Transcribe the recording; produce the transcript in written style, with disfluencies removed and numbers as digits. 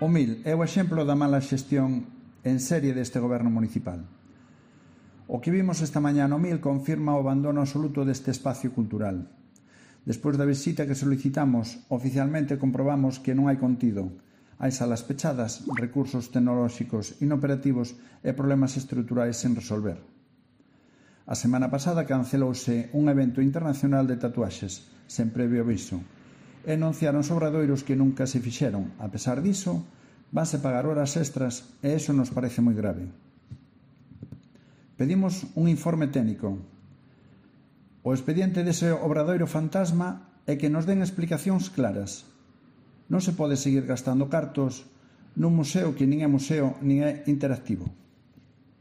O MIL é o exemplo da mala xestión en serie deste goberno municipal. O que vimos esta mañá no MIL confirma o abandono absoluto deste espacio cultural. Despois da visita que solicitamos, oficialmente comprobamos que non hai contido. Hai salas pechadas, recursos tecnolóxicos inoperativos e problemas estruturais sen resolver. A semana pasada cancelouse un evento internacional de tatuaxes, sen previo aviso, e anunciaron os obradoiros que nunca se fixeron. A pesar diso, vanse pagar horas extras e iso nos parece moi grave. Pedimos un informe técnico. O expediente dese obradoiro fantasma é que nos den explicacións claras. Non se pode seguir gastando cartos nun museo que nin é museo nin é interactivo.